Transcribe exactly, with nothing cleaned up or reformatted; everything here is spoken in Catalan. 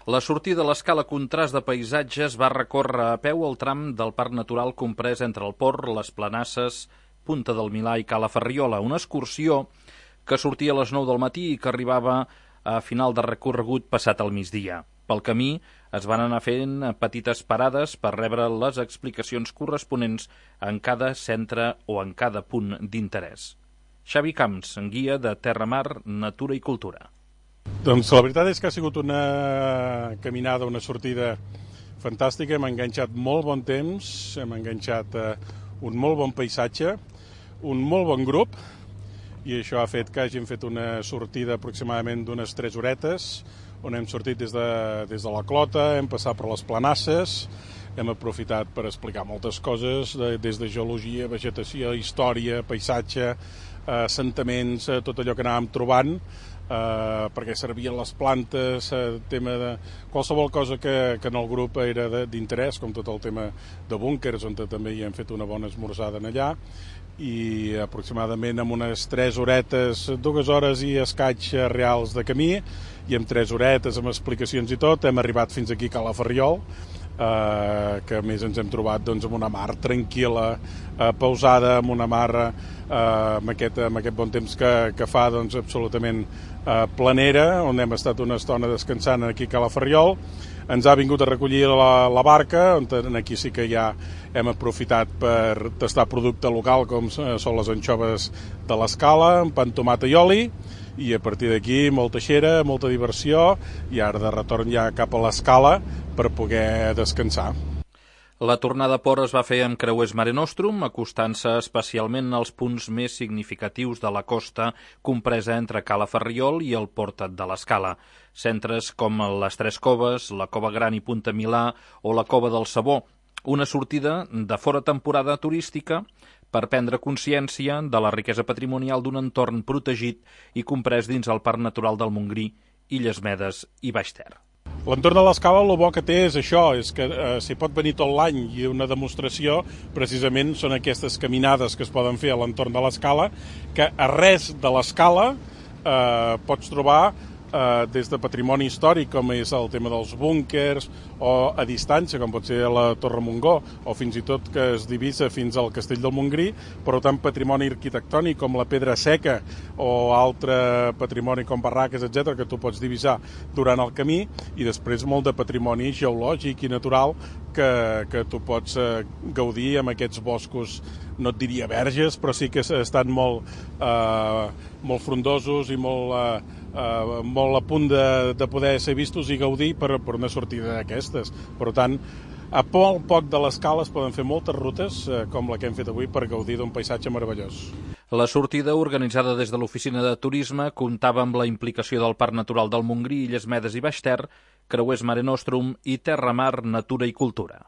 La sortida de l'escala Contrast de Paisatges va recórrer a peu el tram del Parc Natural comprès entre el Port, les Planasses, Punta del Milà i Cala Ferriola, una excursió que sortia a les nou del matí i que arribava a final de recorregut passat el migdia. Pel camí es van anar fent petites parades per rebre les explicacions corresponents en cada centre o en cada punt d'interès. Xavi Camps, guia de Terra Mar, Natura i Cultura. Doncs la veritat és que ha sigut una caminada, una sortida fantàstica. Hem enganxat molt bon temps, hem enganxat eh, un molt bon paisatge, un molt bon grup, i això ha fet que hàgim fet una sortida aproximadament d'unes tres horetes, on hem sortit des de, des de la Clota, hem passat per les Planasses, hem aprofitat per explicar moltes coses, de, des de geologia, vegetació, història, paisatge, eh, assentaments, eh, tot allò que anàvem trobant, eh, perquè servien les plantes, eh, tema de qualsevol cosa que, que en el grup era d'interès, com tot el tema de búnkers, on també hi hem fet una bona esmorzada en allà, i aproximadament amb unes tres horetes, dues hores i escaig reals de camí, i amb tres horetes amb explicacions i tot, hem arribat fins aquí a Cala Ferriol, eh, que a més ens hem trobat doncs, amb una mar tranquil·la, eh, pausada, amb una mar eh, amb, aquest, amb aquest bon temps que, que fa doncs, absolutament eh, planera, on hem estat una estona descansant aquí a Cala Ferriol. Ens ha vingut a recollir la, la barca, on aquí sí que ja hem aprofitat per tastar producte local, com són les anxoves de l'Escala, amb pa amb tomata i oli, i a partir d'aquí molta xera, molta diversió, i ara de retorn ja cap a l'Escala per poder descansar. La tornada a port es va fer amb creuers Mare Nostrum, acostant-se especialment als punts més significatius de la costa compresa entre Cala Ferriol i el Port de l'Escala. Centres com les Tres Coves, la Cova Gran i Punta Milà o la Cova del Sabó. Una sortida de fora temporada turística per prendre consciència de la riquesa patrimonial d'un entorn protegit i comprès dins el Parc Natural del Montgrí, Illes Medes i Baix Ter. L'entorn de l'Escala el bo que té és això, és que eh, s'hi pot venir tot l'any, i una demostració precisament són aquestes caminades que es poden fer a l'entorn de l'Escala, que a res de l'Escala eh, pots trobar eh, des de patrimoni històric, com és el tema dels búnkers, o a distància, com pot ser la Torre Montgó, o fins i tot que es divisa fins al Castell del Montgrí, però tant patrimoni arquitectònic com la Pedra Seca o altre patrimoni com barraques, etcètera, que tu pots divisar durant el camí, i després molt de patrimoni geològic i natural que, que tu pots eh, gaudir amb aquests boscos, no et diria verges, però sí que estan molt, eh, molt frondosos i molt, eh, eh, molt a punt de, de poder ser vistos i gaudir per, per una sortida d'aquestes. Per tant, a poc poc de l'Escala es poden fer moltes rutes, eh, com la que hem fet avui, per gaudir d'un paisatge meravellós. La sortida, organitzada des de l'Oficina de Turisme, comptava amb la implicació del Parc Natural del Montgrí, Illes Medes i Baix Ter, creuers Mare Nostrum i Terra Mar, Natura i Cultura.